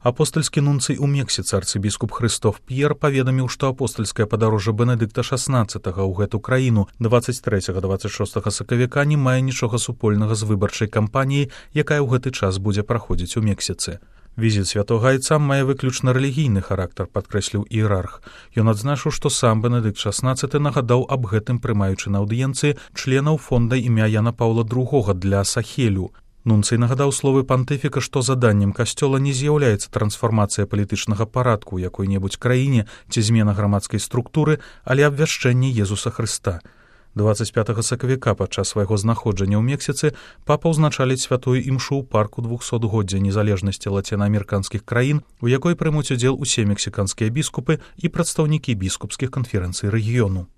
Апостальскі нунцый у Мексіцы арцыбіскуп Хрыстоф П'ер паведаміў, што апостальскае падарожжа Бенедыкта XVI ў гэту краіну 23-26 сакавіка не мае нічога супольнага з выбарчай кампаніяй, якая ў гэты час будзе праходзіць у Мексіцы. Візіт святога айца мае выключна рэлігійны характар, падкрэсліў іерарх. Ён адзначыў, што сам Бенедыкт XVI нагадаў аб гэтым, прымаючы на аўдыенцыі членаў фонда імя Яна Паўла II для Сахелю. Нунцый нагадаў словы пантыфіка, што заданнем касцёла не з'яўляецца трансфармацыя палітычнага парадку ў якой-небудзь краіне ці змена грамадскай структуры, але абвяшчэнне Езуса Хрыста. 25 сакавіка падчас свайго знаходжання ў Мексіцы папа ўзначаліць святую імшу ў парку 200-годдзя незалежнасці лацінаамерыканскіх краін, у якой прымуць удзел усе мексіканскія біскупы і прадстаўнікі біскупскіх канферэнцый рэгіёну.